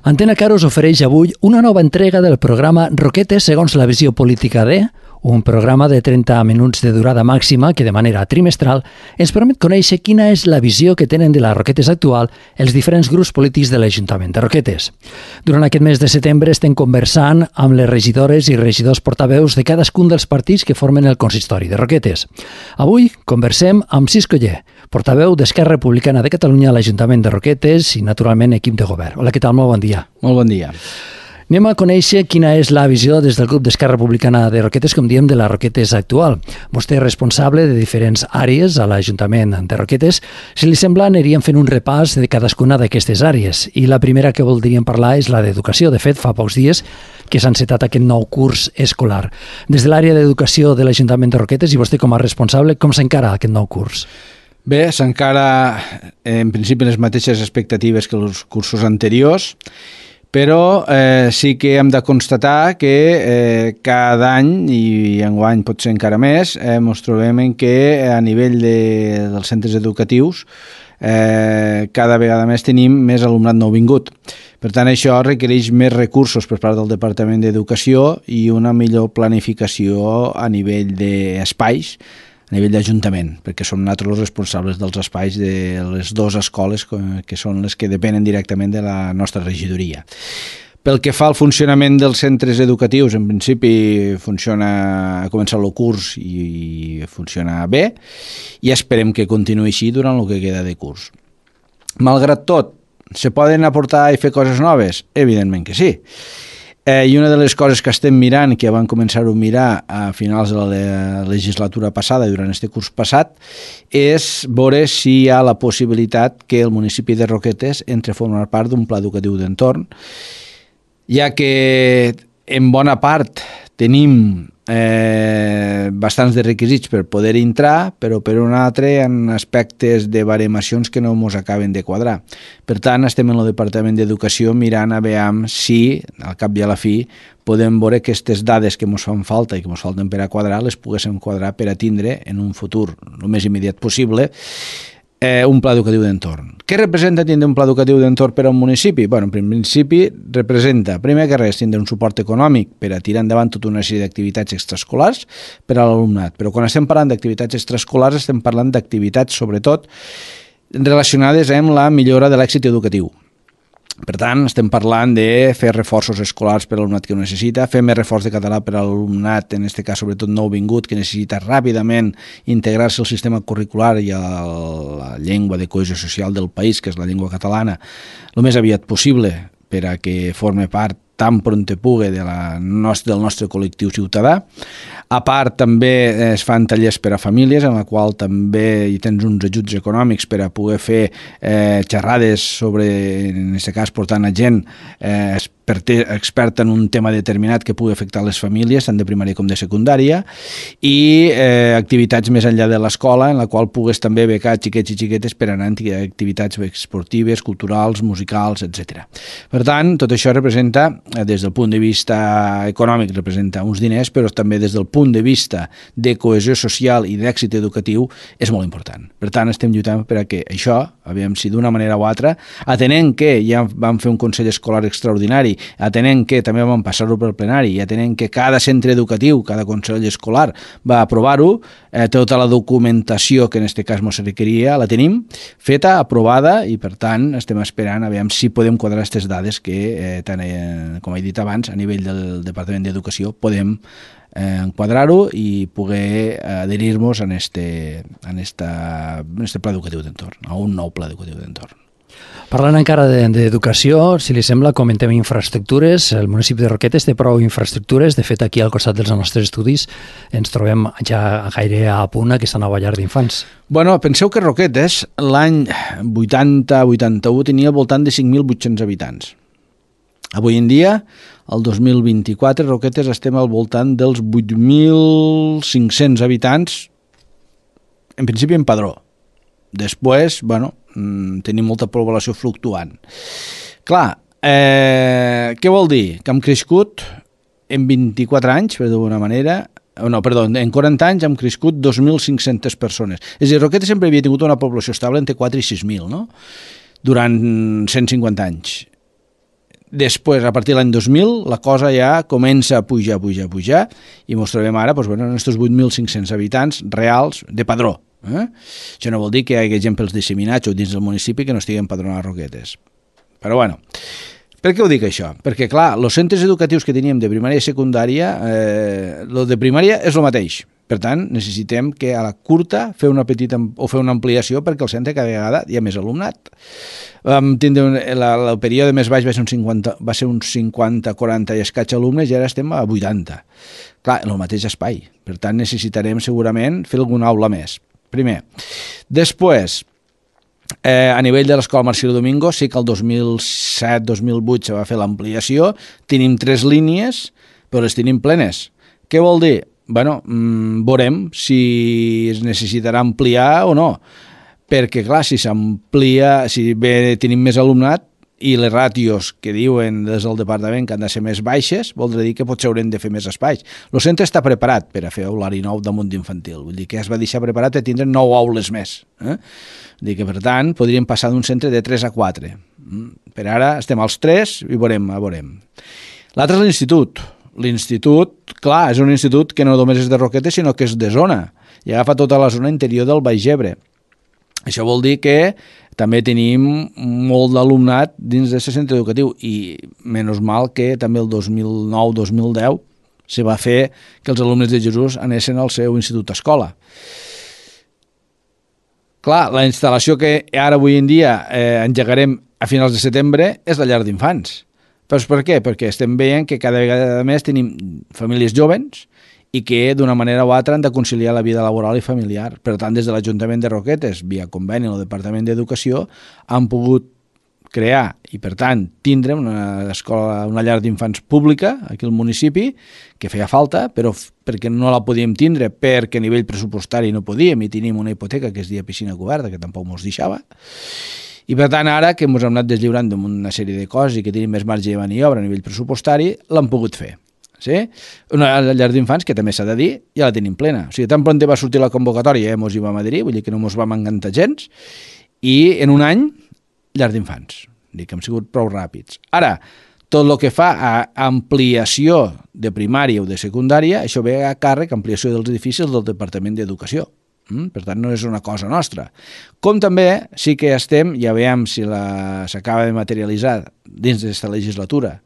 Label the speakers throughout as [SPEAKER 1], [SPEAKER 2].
[SPEAKER 1] Antena Caro us ofereix avui una nova entrega del programa Roquetes segons la visió política de... un programa de 30 minuts de durada màxima que de manera trimestral ens permet conèixer quina és la visió que tenen de la Roquetes actual els diferents grups polítics de l'Ajuntament de Roquetes. Durant aquest mes de setembre estem conversant amb les regidores i regidors portaveus de cadascun dels partits que formen el consistori de Roquetes. Avui conversem amb Cisco Oller, portaveu d'Esquerra Republicana de Catalunya a l'Ajuntament de Roquetes i, naturalment, equip de govern. Hola, què tal? Molt bon dia.
[SPEAKER 2] Molt bon dia.
[SPEAKER 1] Anem a conèixer quina és la visió des del grup d'Esquerra Republicana de Roquetes, com diem, de la Roquetes actual. Vostè és responsable de diferents àrees a l'Ajuntament de Roquetes. Si li sembla, aniríem fent un repàs de cadascuna d'aquestes àrees. I la primera que voldríem parlar és la d'educació. De fet, fa pocs dies que s'ha encetat aquest nou curs escolar. Des de l'àrea d'educació de l'Ajuntament de Roquetes, i vostè com a responsable, com s'encara aquest nou curs?
[SPEAKER 2] Bé, s'encara en principi les mateixes expectatives que els cursos anteriors, però sí que hem de constatar que cada any, i enguany pot ser encara més, ens trobem en que a nivell dels centres educatius cada vegada més tenim més alumnat nouvingut. Per tant, això requereix més recursos per part del Departament d'Educació i una millor planificació a nivell d'espais, a nivell d'Ajuntament, perquè som nosaltres els responsables dels espais de les dues escoles que són les que depenen directament de la nostra regidoria. Pel que fa al funcionament dels centres educatius, en principi ha començat el curs i funciona bé i esperem que continuï així durant el que queda de curs. Malgrat tot, se poden aportar i fer coses noves? Evidentment que sí. I una de les coses que estem mirant, que vam començar a mirar a finals de la legislatura passada, durant este curs passat, és veure si hi ha la possibilitat que el municipi de Roquetes entre a formar part d'un pla educatiu d'entorn, ja que en bona part tenim bastants de requisits per poder entrar, però per un altre en aspectes de baremacions que no ens acaben de quadrar. Per tant, estem en el Departament d'Educació mirant a veure si, al cap i a la fi, podem veure que aquestes dades que ens fan falta i que ens falten per a quadrar, les poguéssim quadrar per a tindre en un futur el més immediat possible un pla educatiu d'entorn. Què representa tindre un pla educatiu d'entorn per a un municipi? Bé, en principi representa, primer que res, tindre un suport econòmic per a tirar endavant tota una sèrie d'activitats extraescolars per a l'alumnat. Però quan estem parlant d'activitats extraescolars estem parlant d'activitats, sobretot, relacionades amb la millora de l'èxit educatiu. Per tant, estem parlant de fer reforços escolars per a l'alumnat que ho necessita, fer més reforç de català per a l'alumnat, en aquest cas sobretot nouvingut, que necessita ràpidament integrar-se al sistema curricular i a la llengua de cohesió social del país, que és la llengua catalana, el més aviat possible per a que forme part tan pronte pugui del nostre col·lectiu ciutadà. A part, també es fan tallers per a famílies, en la qual també hi tens uns ajuts econòmics per a poder fer xerrades sobre, en aquest cas, portant a gent experta en un tema determinat que pugui afectar les famílies, tant de primària com de secundària, i activitats més enllà de l'escola, en la qual pugues també becar xiquets i xiquetes per anar a activitats esportives, culturals, musicals, etc. Per tant, tot això representa, des del punt de vista econòmic, representa uns diners, però també des del punt de vista de cohesió social i d'èxit educatiu és molt important. Per tant, estem lluitant per a que això, aviam si d'una manera o altra, atenent que ja vam fer un consell escolar extraordinari, atenent que també vam passar-ho pel plenari i atenent que cada centre educatiu, cada consell escolar va aprovar-ho, tota la documentació que en aquest cas ens requeria la tenim feta, aprovada, i per tant estem esperant a veure si podem quadrar aquestes dades que, com he dit abans, a nivell del Departament d'Educació podem enquadrar-ho i poder adherir-nos a este pla educatiu d'entorn, a un nou pla educatiu d'entorn.
[SPEAKER 1] Parlant encara d'educació, si li sembla, comentem infraestructures. El municipi de Roquetes té prou infraestructures. De fet, aquí al costat dels nostres estudis ens trobem ja gaire a punt aquesta nova llar d'infants.
[SPEAKER 2] Bueno, penseu que Roquetes l'any 80-81 tenia al voltant de 5.800 habitants. Avui en dia, el 2024, Roquetes estem al voltant dels 8.500 habitants, en principi en padró. Després, tenim molta població fluctuant. Clar, què vol dir? Que hem crescut en 24 anys, per d'alguna manera, en 40 anys hem crescut 2.500 persones. És a dir, Roquetes sempre havia tingut una població estable entre 4 i 6.000, no? Durant 150 anys. Després, a partir de l'any 2000, la cosa ja comença a pujar, i ens trobem ara en aquests 8.500 habitants reals de padró. Això no vol dir que hi hagi gent pels disseminats o dins del municipi que no estiguen empadronats a Roquetes. Però bueno, per què ho dic això? Perquè, clar, els centres educatius que teníem de primària i secundària, el de primària és el mateix. Per tant, necessitem que a la curta fer una petita o fer una ampliació perquè al centre cada vegada hi ha més alumnat. Vam tindre el període més baix va ser uns 50, 40 i escaig alumnes i ara estem a 80. Clar, en el mateix espai. Per tant, necessitarem segurament fer alguna aula més. Primer. Després, a nivell de l'Escola Marcelo Domingo, sí que el 2007-2008 se va fer l'ampliació, tenim 3 línies, però les tenim plenes. Què vol dir? Bueno, veurem si es necessitarà ampliar o no, perquè clar, si s'amplia, si bé tenim més alumnat i les ràtios que diuen des del departament que han de ser més baixes, voldrà dir que potser haurem de fer més espais. El centre està preparat per a fer aulari nou damunt d'infantil, vull dir que es va deixar preparat per tindre 9 aules més. Vull dir que, per tant, podríem passar d'un centre de 3 a 4. Per ara estem als 3 i veurem. L'altre és l'institut. L'institut, clar, és un institut que no només és de Roquetes, sinó que és de zona, i agafa tota la zona interior del Baix Ebre. Això vol dir que també tenim molt d'alumnat dins d'aquest centre educatiu i menys mal que també el 2009-2010 se va fer que els alumnes de Jesús anessin al seu institut-escola. Clar, la instal·lació que ara avui en dia engegarem a finals de setembre és la llar d'infants. Però per què? Perquè estem veient que cada vegada més tenim famílies jovens i que d'una manera o altra han de conciliar la vida laboral i familiar. Per tant, des de l'Ajuntament de Roquetes, via conveni amb el Departament d'Educació, han pogut crear i, per tant, tindre una llar d'infants pública aquí al municipi, que feia falta, però perquè no la podíem tindre, perquè a nivell pressupostari no podíem i tenim una hipoteca que es deia piscina coberta, que tampoc ens deixava. I per tant, ara que ens hem anat deslliurant d'una sèrie de coses i que tenim més marge de maniobra a nivell pressupostari, l'hem pogut fer. Sí? Una llar d'infants que també s'ha de dir, ja la tenim plena. O sigui, tan pront va sortir la convocatòria, ens hi vam adherir, vull dir que no ens vam encantar gens, i en un any, llar d'infants. Vull dir que hem sigut prou ràpids. Ara, tot el que fa a ampliació de primària o de secundària, això ve a càrrec, ampliació dels edificis del Departament d'Educació. Per tant, no és una cosa nostra. Com també sí que estem, ja veiem si s'acaba de materialitzar dins d'aquesta legislatura,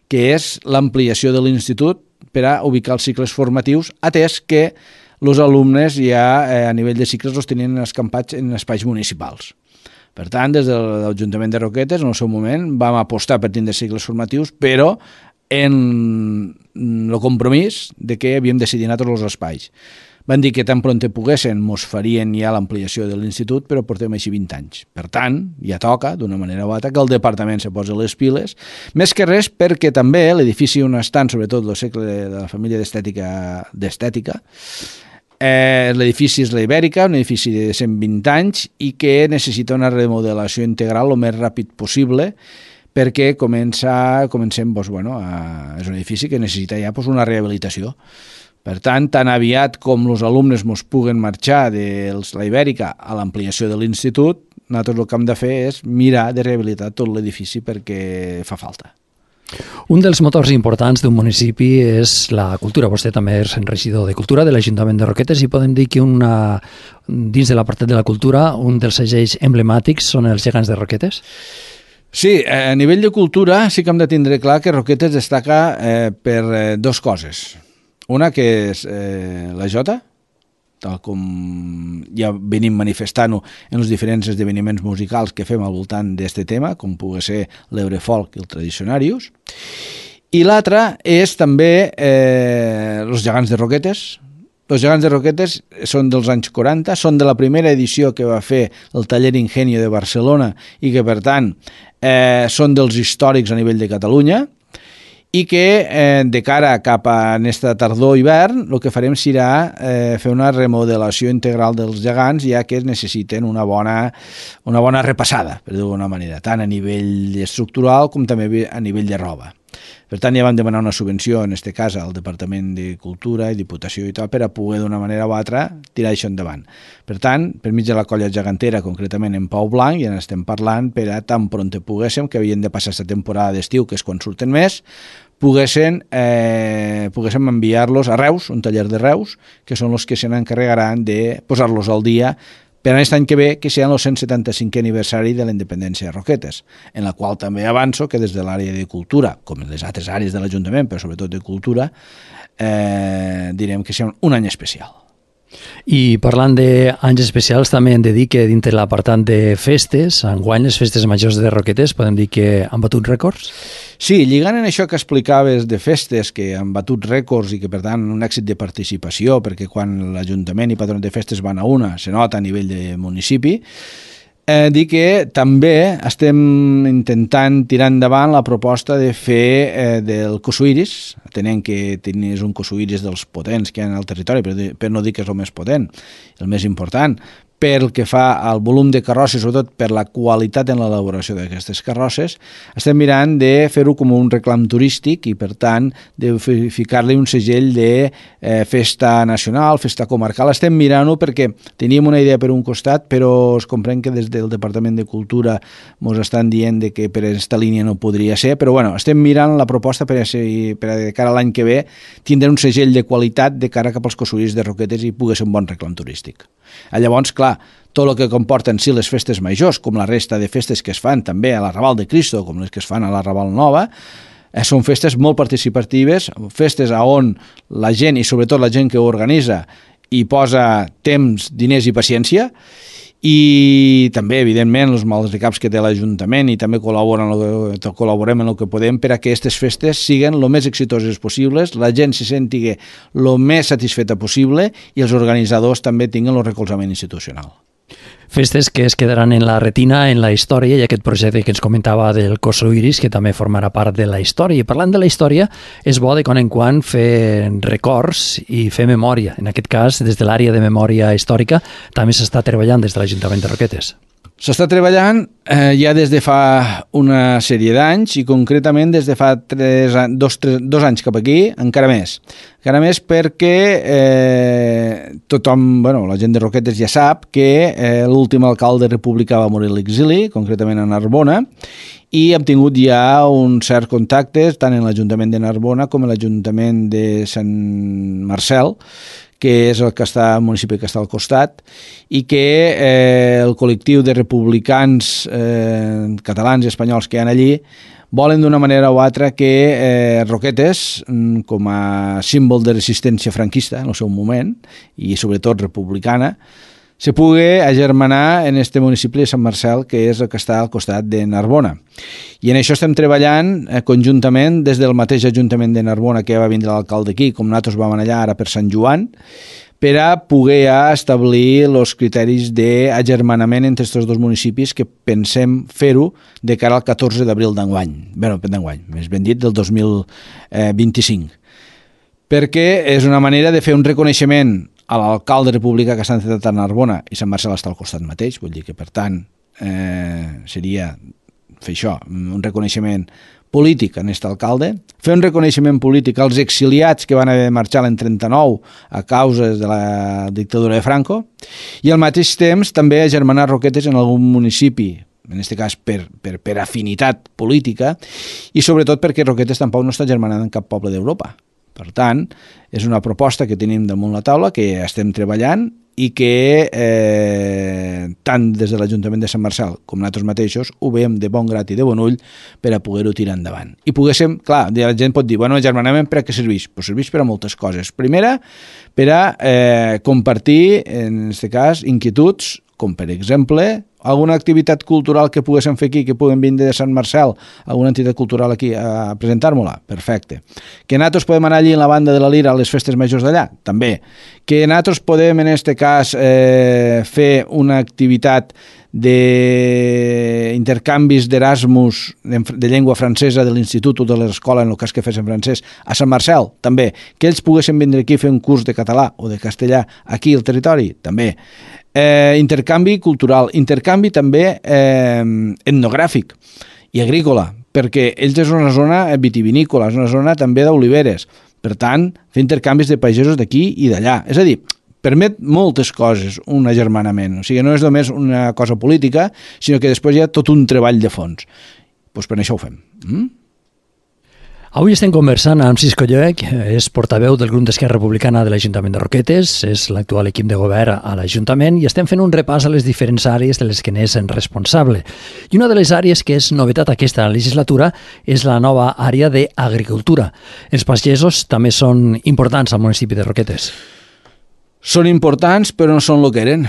[SPEAKER 2] que és l'ampliació de l'institut per a ubicar els cicles formatius, atès que els alumnes ja a nivell de cicles els tenien escampats en espais municipals. Per tant, des de l'Ajuntament de Roquetes, en el seu moment, vam apostar per tindre cicles formatius, però en el compromís de que havíem de decidir tots els espais. Van dir que tan pront poguessin mos farien ja l'ampliació de l'institut, però portem així 20 anys. Per tant, ja toca, d'una manera o altra, que el departament se posi les piles, més que res perquè també l'edifici on estan, sobretot el segle de la família d'estètica, l'edifici és la Ibèrica, un edifici de 120 anys i que necessita una remodelació integral el més ràpid possible, perquè comencem, és un edifici que necessita ja una rehabilitació. Per tant, tan aviat com els alumnes ens puguen marxar de la Ibèrica a l'ampliació de l'institut, nosaltres el que hem de fer és mirar de rehabilitar tot l'edifici perquè fa falta.
[SPEAKER 1] Un dels motors importants d'un municipi és la cultura. Vostè també és regidor de Cultura de l'Ajuntament de Roquetes i podem dir que dins de l'apartat de la cultura un dels segells emblemàtics són els gegants de Roquetes?
[SPEAKER 2] Sí, a nivell de cultura sí que hem de tindre clar que Roquetes destaca per dues coses. Una que és la jota, tal com ja venim manifestant-ho en els diferents esdeveniments musicals que fem al voltant d'aquest tema, com pugui ser l'Eurefolk i el Tradicionarius. I l'altra és també els gegants de Roquetes. Els gegants de Roquetes són dels anys 40, són de la primera edició que va fer el Taller Ingenio de Barcelona i que, per tant, són dels històrics a nivell de Catalunya, i que de cara cap a aquesta tardor-hivern el que farem serà fer una remodelació integral dels gegants, ja que necessiten una bona repassada, per dir-ho d'alguna manera, tant a nivell estructural com també a nivell de roba. Per tant, ja vam demanar una subvenció, en aquest cas, al Departament de Cultura i Diputació i tal, per a poder d'una manera o altra tirar això endavant. Per tant, per mig de la colla gegantera, concretament en Pau Blanc, ja n'estem parlant per a tan pront poguéssim, que havien de passar aquesta temporada d'estiu, que és quan surten més, poguéssim enviar-los a Reus, un taller de Reus, que són els que se n'encarregaran de posar-los al dia per a aquest any que ve, que serà el 175è aniversari de la independència de Roquetes, en la qual també avanço que des de l'àrea de cultura, com en les altres àrees de l'Ajuntament, però sobretot de cultura, direm que serà un any especial.
[SPEAKER 1] I parlant d'anys especials, també hem de dir que dintre l'apartat de festes, enguany les festes majors de Roquetes, podem dir que han batut rècords?
[SPEAKER 2] Sí, lligant en això que explicaves de festes, que han batut rècords i que per tant un èxit de participació, perquè quan l'Ajuntament i patrons de festes van a una, se nota a nivell de municipi, dir que també estem intentant tirar endavant la proposta de fer del Cosuiris, atenent que és un Cosuiris dels potents que hi ha al territori, per no dir que és el més potent, el més important, pel que fa al volum de carrosses, sobretot per la qualitat en l'elaboració d'aquestes carrosses, estem mirant de fer-ho com un reclam turístic i, per tant, de ficar-li un segell de festa nacional, festa comarcal. Estem mirant-ho perquè teníem una idea per un costat, però es comprèn que des del Departament de Cultura ens estan dient que per aquesta línia no podria ser, però bueno, estem mirant la proposta per a de cara a l'any que ve tindre un segell de qualitat de cara cap als Cosuiris de Roquetes i pugui ser un bon reclam turístic. Llavors, clar, tot el que comporten sí les festes majors, com la resta de festes que es fan també a la Raval de Cristo, com les que es fan a la Raval Nova, són festes molt participatives, festes on la gent, i sobretot la gent que ho organitza, hi posa temps, diners i paciència, i també, evidentment, els maldecaps que té l'Ajuntament i també col·laborem en el que podem per a que aquestes festes siguin el més exitoses possibles, la gent se senti el més satisfeta possible i els organitzadors també tinguin el recolzament institucional.
[SPEAKER 1] Festes que es quedaran en la retina, en la història, i aquest projecte que ens comentava del Cosuiris, que també formarà part de la història. I parlant de la història, és bo de quan en quan fer records i fer memòria. En aquest cas, des de l'àrea de memòria històrica, també s'està treballant des de l'Ajuntament de Roquetes.
[SPEAKER 2] S'està treballant ja des de fa una sèrie d'anys i concretament des de fa 2 anys cap aquí, encara més. Encara més perquè tothom, la gent de Roquetes ja sap que l'últim alcalde republicà va morir a l'exili, concretament a Narbona, i hem tingut ja un cert contacte tant en l'Ajuntament de Narbona com en l'Ajuntament de Sant Marcel, que és el municipi que està al costat, i que el col·lectiu de republicans catalans i espanyols que hi ha allí volen d'una manera o altra que Roquetes, com a símbol de resistència franquista en el seu moment, i sobretot republicana, se pugui agermanar en este municipi de Sant Marcel, que és el que està al costat de Narbona. I en això estem treballant conjuntament des del mateix Ajuntament de Narbona, que ja va vindre l'alcalde aquí, com nosaltres vam allà ara per Sant Joan, per a poder establir els criteris d'agermanament entre aquests dos municipis que pensem fer-ho de cara al 14 d'abril d'enguany. D'enguany, més ben dit, del 2025. Perquè és una manera de fer un reconeixement a l'alcalde republicà que està entrat a Narbona i Sant Marcel està al costat mateix, vull dir que per tant seria fer això, un reconeixement polític a aquest alcalde, fer un reconeixement polític als exiliats que van haver de marxar l'any 39 a causa de la dictadura de Franco i al mateix temps també agermanar Roquetes en algun municipi, en aquest cas per afinitat política i sobretot perquè Roquetes tampoc no està agermanant en cap poble d'Europa. Per tant, és una proposta que tenim damunt la taula, que estem treballant i que tant des de l'Ajuntament de Sant Marcel com nosaltres mateixos ho veiem de bon grat i de bon ull per a poder-ho tirar endavant. I poguéssim, clar, la gent pot dir, agermanament per a què serveix? Pues serveix per a moltes coses. Primera, per a compartir, en aquest cas, inquietuds, com per exemple alguna activitat cultural que poguéssim fer aquí, que puguem vindre de Sant Marcel, alguna entitat cultural aquí a presentar-me-la, perfecte. Que nosaltres podem anar allí en la banda de la Lira a les festes majors d'allà, també. Que nosaltres podem, en aquest cas, fer una activitat d'intercanvis d'Erasmus de llengua francesa de l'institut o de l'escola, en el cas que fes en francès, a Sant Marcel, també. Que ells poguessin vindre aquí a fer un curs de català o de castellà aquí al territori, també. Intercanvi cultural, intercanvi també etnogràfic i agrícola, perquè ells és una zona vitivinícola, és una zona també d'oliveres. Per tant, fer intercanvis de pagesos d'aquí i d'allà. És a dir, permet moltes coses un agermanament. O sigui, no és només una cosa política, sinó que després hi ha tot un treball de fons. Doncs per això ho fem.
[SPEAKER 1] Avui estem conversant amb Cisco Lloec, és portaveu del grup d'Esquerra Republicana de l'Ajuntament de Roquetes, és l'actual equip de govern a l'Ajuntament i estem fent un repàs a les diferents àrees de les que n'és responsable. I una de les àrees que és novetat aquesta legislatura és la nova àrea d'agricultura. Els pagesos també són importants al municipi de Roquetes.
[SPEAKER 2] Són importants, però no són el que eren.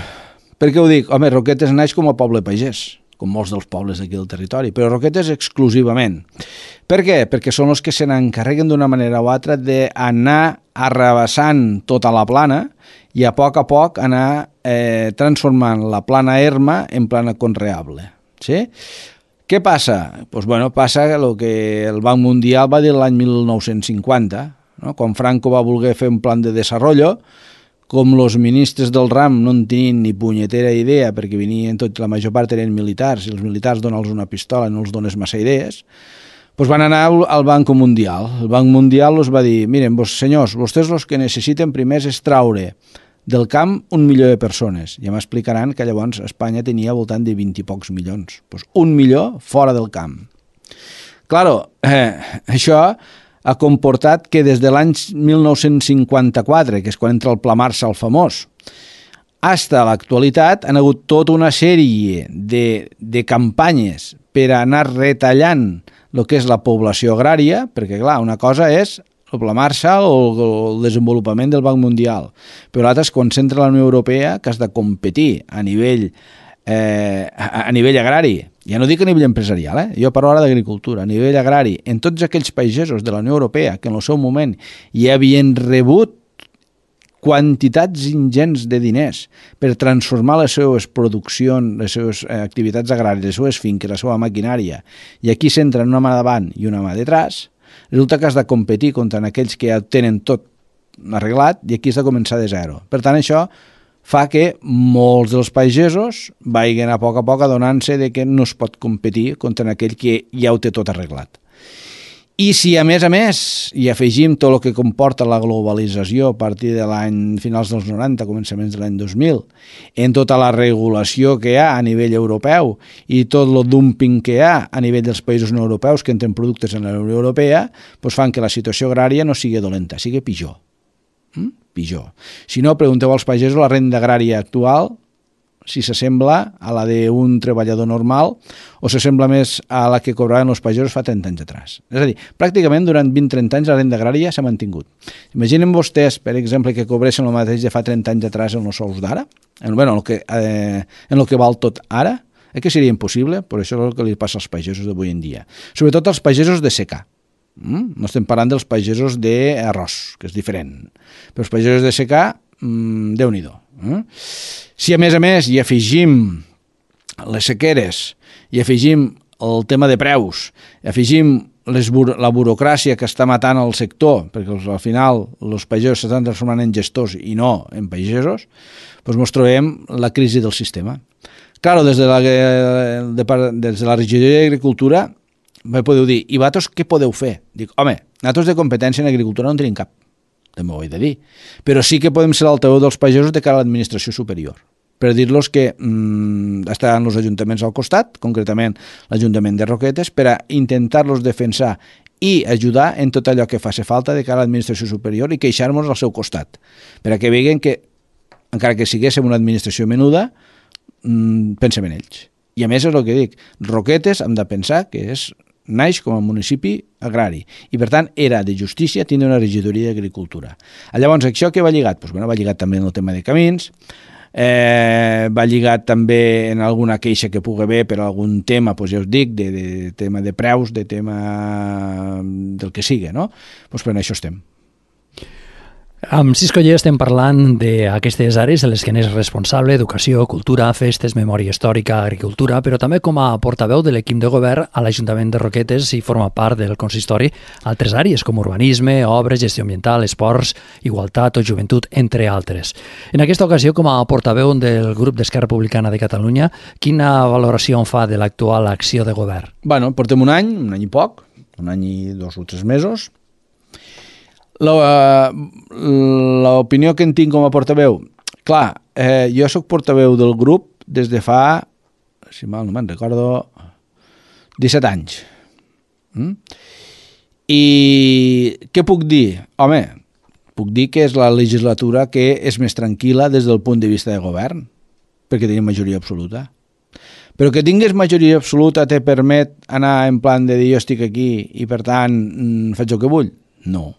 [SPEAKER 2] Per què ho dic? Home, Roquetes naix com a poble pagès, com molts dels pobles d'aquí del territori, però Roquetes exclusivament. Per què? Perquè són els que se n'encarreguen d'una manera o altra d'anar arrabassant tota la plana i a poc anar transformant la plana erma en plana conreable. Sí? Què passa? Pues bueno, passa el que el Banc Mundial va dir l'any 1950, no? Quan Franco va voler fer un plan de desenvolupament, com els ministres del RAM no en tenien ni punyetera idea, perquè venien la major part eren militars, i els militars dona'ls una pistola i no els dones massa idees, doncs van anar al Banc Mundial. El Banc Mundial els va dir, miren, senyors, vostès els que necessiten primer és traure del camp 1 milió de persones. Ja m'explicaran que llavors Espanya tenia al voltant de 20 i pocs milions. Doncs 1 milió fora del camp. Claro, això ha comportat que des de l'any 1954, que és quan entra el Pla Marshall famós, fins a l'actualitat han hagut tota una sèrie de campanyes per anar retallant el que és la població agrària, perquè clar, una cosa és el Pla Marshall o el desenvolupament del Banc Mundial, però l'altre és quan s'entra a la Unió Europea que has de competir a nivell agrari, ja no dic a nivell empresarial, jo parlo ara d'agricultura, a nivell agrari, en tots aquells pagesos de la Unió Europea que en el seu moment ja havien rebut quantitats ingents de diners per transformar les seves produccions, les seves activitats agràries, les seves finques, la seva maquinària, i aquí s'entren una mà davant i una mà detrás, resulta que has de competir contra aquells que ja tenen tot arreglat i aquí has de començar de zero. Per tant, això fa que molts dels pagesos vagin a poc adonant-se de que no es pot competir contra aquell que ja ho té tot arreglat. I si a més hi afegim tot el que comporta la globalització a partir de l'any finals dels 90, començaments de l'any 2000, en tota la regulació que hi ha a nivell europeu i tot el dumping que hi ha a nivell dels països no europeus que entren productes en la Unió Europea, doncs fan que la situació agrària no sigui dolenta, sigui pitjor. Pitjor. Si no, pregunteu als pagesos la renda agrària actual, si s'assembla a la d'un treballador normal o s'assembla més a la que cobraven els pagesos fa 30 anys atrás. És a dir, pràcticament durant 20-30 anys la renda agrària s'ha mantingut. Imaginen vostès, per exemple, que cobressin el mateix de fa 30 anys atrás en els sous d'ara, en el que val tot ara, que seria impossible, però això és el que li passa als pagesos d'avui en dia. Sobretot als pagesos de secà. No estem parlant dels pagesos d'arròs, que és diferent. Però els pagesos de secà, Déu-n'hi-do. Si a més hi afegim les sequeres, hi afegim el tema de preus, hi afegim la burocràcia que està matant el sector, perquè al final els pagesos s'estan transformant en gestors i no en pagesos, doncs ens trobem la crisi del sistema. Claro, des de la regidoria d'Agricultura podeu dir, i vosaltres què podeu fer? Dic, home, nosaltres de competència en agricultura no en tenim cap, també ho he de dir, però sí que podem ser l'altaveu dels pagesos de cara a l'administració superior, per dir-los que estaran els ajuntaments al costat, concretament l'Ajuntament de Roquetes, per a intentar-los defensar i ajudar en tot allò que faci falta de cara a l'administració superior i queixar-nos al seu costat, per a que veguen que, encara que siguéssim una administració menuda, pensem en ells. I a més és el que dic, Roquetes hem de pensar que naix com a municipi agrari i per tant era de justícia tindre una regidoria d'agricultura. Llavors això què va lligat? Doncs va lligat també en el tema de camins, va lligat també en alguna queixa que pugui haver per algun tema, doncs ja us dic, de tema de preus, de tema del que sigui, no? Doncs per això estem.
[SPEAKER 1] Amb Cisco estem parlant d'aquestes àrees de les que n'és responsable: educació, cultura, festes, memòria històrica, agricultura, però també com a portaveu de l'equip de govern a l'Ajuntament de Roquetes i forma part del consistori altres àrees com urbanisme, obres, gestió ambiental, esports, igualtat o joventut, entre altres. En aquesta ocasió, com a portaveu del grup d'Esquerra Republicana de Catalunya, quina valoració en fa de l'actual acció de govern?
[SPEAKER 2] Bueno, portem un any i poc, un any i 2 o 3 mesos. L'opinió que en tinc com a portaveu, clar, jo sóc portaveu del grup des de fa, si mal no me'n recordo, 17 anys. I què puc dir? Home, puc dir que és la legislatura que és més tranquil·la des del punt de vista de govern, perquè tenim majoria absoluta. Però que tingués majoria absoluta te permet anar en plan de dir jo estic aquí i per tant faig el que vull? No.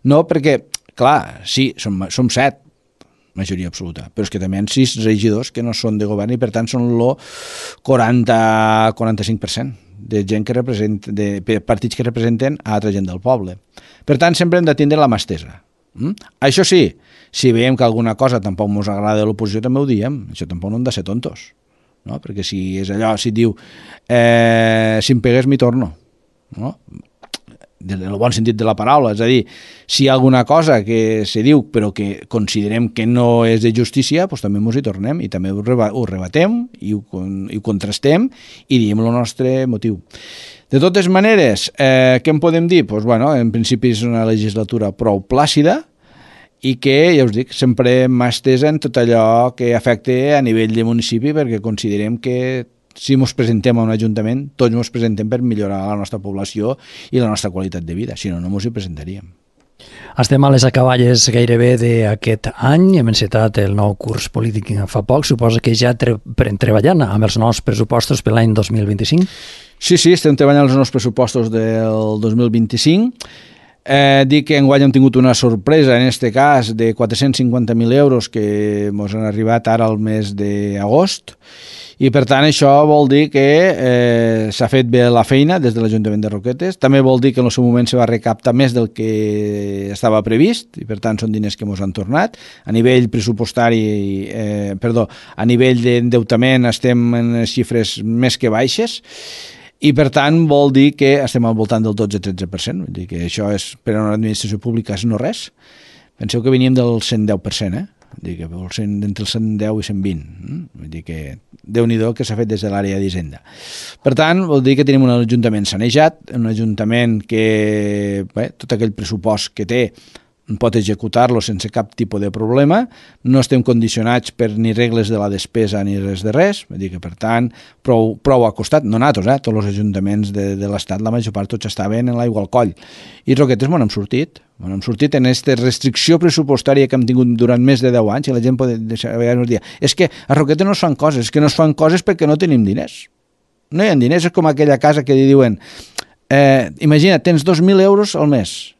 [SPEAKER 2] No, perquè, clar, sí, som 7, majoria absoluta, però és que també hi ha 6 regidors que no són de govern i per tant són el 40-45% de gent que representa, de partits que representen a altra gent del poble. Per tant, sempre hem de tindre la mà estesa. Això sí, si veiem que alguna cosa tampoc ens agrada de l'oposició també ho diem, això tampoc no hem de ser tontos, no? Perquè si és allò, si et diu si em pegues m'hi torno, no? En el bon sentit de la paraula, és a dir, si hi ha alguna cosa que se diu però que considerem que no és de justícia, doncs també ens hi tornem i també ho rebatem i ho contrastem i diem el nostre motiu. De totes maneres, què en podem dir? Doncs, bueno, en principi és una legislatura prou plàcida i que, ja us dic, sempre mà estesa en tot allò que afecta a nivell de municipi perquè considerem que si ens presentem a un ajuntament, tots ens presentem per millorar la nostra població i la nostra qualitat de vida, si no, no ens hi presentaríem.
[SPEAKER 1] Estem a les acaballes gairebé d'aquest any, hem encetat el nou curs polític fa poc, suposa que ja treballant amb els nous pressupostos per l'any 2025?
[SPEAKER 2] Sí, estem treballant els nous pressupostos del 2025. Dic que enguany hem tingut una sorpresa, en aquest cas, de 450.000 euros que ens han arribat ara al mes d'agost, i per tant això vol dir que s'ha fet bé la feina des de l'Ajuntament de Roquetes. També vol dir que en el seu moment se va recaptar més del que estava previst i per tant són diners que ens han tornat. A nivell pressupostari, a nivell d'endeutament estem en xifres més que baixes i per tant vol dir que estem al voltant del 12-13%. Vull dir que això és, per a una administració pública és no res. Penseu que veníem del 110%, Vull dir que entre el 110 i 120. Vull dir que Déu-n'hi-do que s'ha fet des de l'àrea d'Hisenda. Per tant, vol dir que tenim un ajuntament sanejat, un ajuntament que tot aquell pressupost que té pot executar-lo sense cap tipus de problema, no estem condicionats per ni regles de la despesa ni res de res, vull dir que per tant prou acostat, no nosaltres, tots els ajuntaments de l'Estat, la major part tots estaven en l'aigua al coll, i Roquetes m'ho hem sortit en aquesta restricció pressupostària que hem tingut durant més de 10 anys, i la gent pot deixar, a vegades dir, és que a Roquetes no es fan coses, és que no es fan coses perquè no tenim diners, no hi ha diners, és com aquella casa que li diuen, imagina, tens 2.000 euros al mes,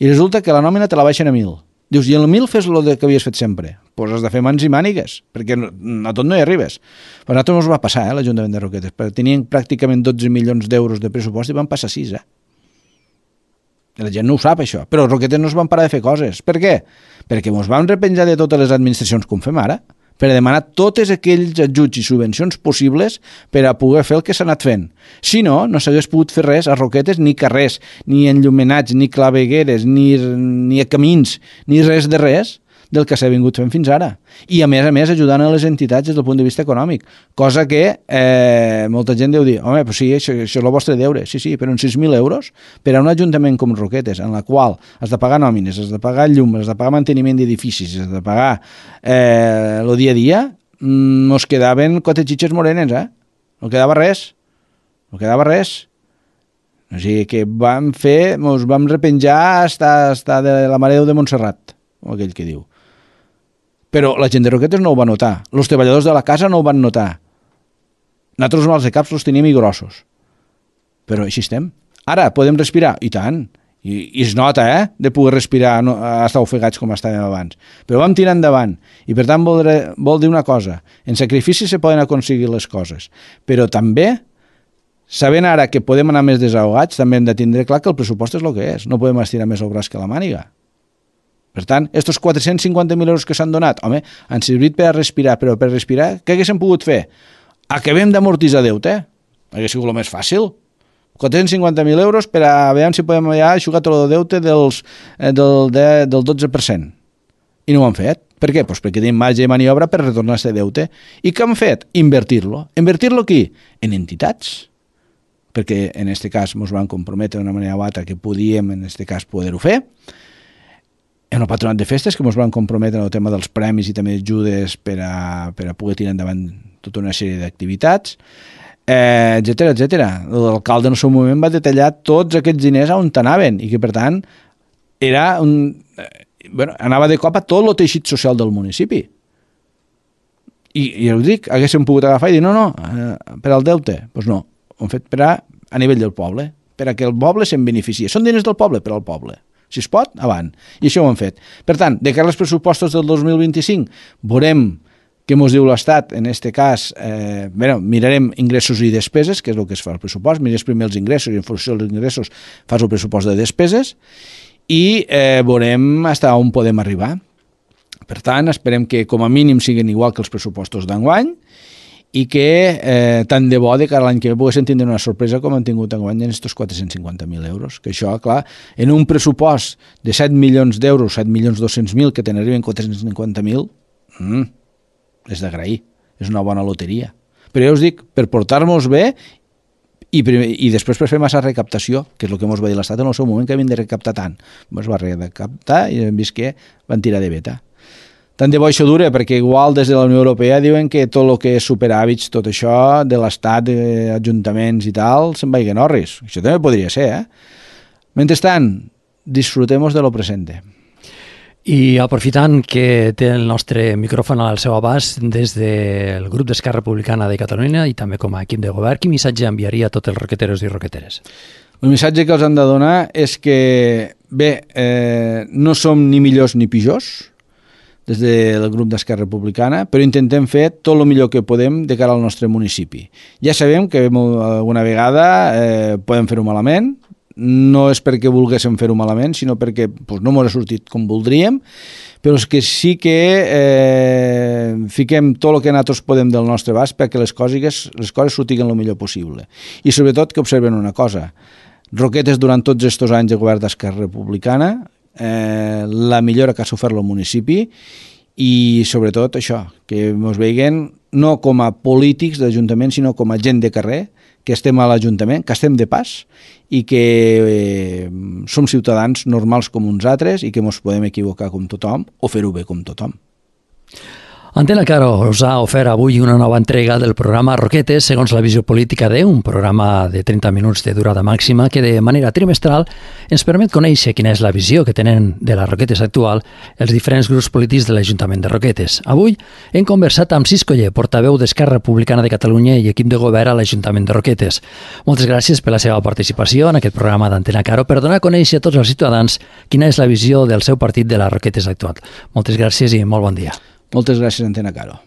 [SPEAKER 2] i resulta que la nòmina te la baixen a 1.000. Dius, i el 1.000 fes el que havies fet sempre. Doncs has de fer mans i mànigues, perquè a tot no hi arribes. Però a nosaltres ens va passar, l'Ajuntament de Roquetes, perquè tenien pràcticament 12 milions d'euros de pressupost i van passar 6, I la gent no ho sap, això. Però a Roquetes no es van parar de fer coses. Per què? Perquè ens vam repenjar de totes les administracions com fem ara, per a demanar tots aquells ajuts i subvencions possibles per a poder fer el que s'ha anat fent. Si no, no s'hagués pogut fer res a Roquetes, ni carrers, ni enllumenats, ni clavegueres, ni camins, ni res de res del que s'ha vingut fent fins ara. I a més ajudant a les entitats des del punt de vista econòmic, cosa que molta gent deu dir, home, però sí, això és el vostre deure. Sí, però en 6.000 euros per a un ajuntament com Roquetes, en la qual has de pagar nòmines, has de pagar llum, has de pagar manteniment d'edificis, has de pagar el dia a dia, ens quedaven 4 xitxes morenes, No quedava res. O sigui que ens vam repenjar hasta de la Mare de Montserrat, com aquell que diu. Però la gent de Roquetes no ho va notar. Els treballadors de la casa no ho van notar. Nosaltres els mals de caps els tenim i grossos. Però així estem. Ara, podem respirar? I tant. I es nota, de poder respirar, no estar ofegats com estàvem abans. Però vam tirar endavant. I per tant vol dir una cosa. En sacrifici se poden aconseguir les coses. Però també, sabent ara que podem anar més desahogats, també hem de tindre clar que el pressupost és el que és. No podem estirar més el braç que la màniga. Per tant, estos 450.000 euros que s'han donat, home, han servit per a respirar, però per respirar, què haguéssim pogut fer? Acabem d'amortitzar deute. Hauria sigut el més fàcil. 450.000 euros per a veure si podem ja aixugar tot el deute del 12%. I no ho han fet. Per què? Pues perquè tenim marge de maniobra per retornar aquest deute. I què han fet? Invertir-lo. Invertir-lo aquí? En entitats. Perquè en aquest cas ens van comprometre d'una manera o altra que podíem en aquest cas poder-ho fer. En el patronat de festes que ens van comprometre en el tema dels premis i també ajudes per a poder tirar endavant tota una sèrie d'activitats, etcètera, etcètera. L'alcalde en el seu moment va detallar tots aquests diners on anaven i que per tant era anava de cop a tot el teixit social del municipi. I ja ho dic, haguéssim pogut agafar i dir no, per al deute. Doncs no, ho hem fet a nivell del poble, per a que el poble se'n beneficia. Són diners del poble per al poble. Si es pot, avant. I això ho hem fet. Per tant, de cara als pressupostos del 2025, veurem què ens diu l'Estat. En aquest cas, mirarem ingressos i despeses, que és el que es fa al pressupost. Mires primer els ingressos i en funció dels ingressos fas el pressupost de despeses i veurem fins on podem arribar. Per tant, esperem que com a mínim siguin igual que els pressupostos d'enguany i que tant de bo de cara a l'any que ve poguéssim tindre una sorpresa com han tingut enguany en aquests 450.000 euros. Que això, clar, en un pressupost de 7 milions d'euros, 7.200.000, que te n'arriben 450.000, és d'agrair. És una bona loteria. Però ja us dic, per portar-nos bé i després per fer massa recaptació, que és el que ens va dir l'Estat en el seu moment, que havien de recaptar tant. Ens va recaptar i hem vist que van tirar de veta. Tant de bo això dure, perquè igual des de la Unió Europea diuen que tot el que és superàvits, tot això de l'Estat, ajuntaments i tal, se'n vagin orris. Això també podria ser, Mentrestant, disfrutemos de lo presente.
[SPEAKER 1] I aprofitant que té el nostre micròfon al seu abast des del grup d'Esquerra Republicana de Catalunya i també com a equip de govern, quin missatge enviaria a tots els roqueteros i roqueteres?
[SPEAKER 2] El missatge que els han de donar és que, no som ni millors ni pitjors, des del grup d'Esquerra Republicana, però intentem fer tot el millor que podem de cara al nostre municipi. Ja sabem que alguna vegada podem fer-ho malament, no és perquè volguéssim fer-ho malament, sinó perquè no ens ha sortit com voldríem, però és que sí que fiquem tot el que nosaltres podem del nostre abast perquè les coses sortiguin el millor possible. I sobretot que observen una cosa, Roquetes durant tots aquests anys de govern d'Esquerra Republicana, la millora que ha sofert el municipi i sobretot això, que ens veien no com a polítics d'Ajuntament sinó com a gent de carrer, que estem a l'Ajuntament, que estem de pas i que som ciutadans normals com uns altres i que ens podem equivocar com tothom o fer-ho bé com tothom.
[SPEAKER 1] Antena Caro us ha ofert avui una nova entrega del programa Roquetes segons la visió política de un programa de 30 minuts de durada màxima que de manera trimestral ens permet conèixer quina és la visió que tenen de la Roquetes actual els diferents grups polítics de l'Ajuntament de Roquetes. Avui hem conversat amb Cis Coller, portaveu d'Esquerra Republicana de Catalunya i equip de govern a l'Ajuntament de Roquetes. Moltes gràcies per la seva participació en aquest programa d'Antena Caro per donar a conèixer a tots els ciutadans quina és la visió del seu partit de la Roquetes actual. Moltes gràcies i molt bon dia.
[SPEAKER 2] Moltes gràcies, Antena Caro.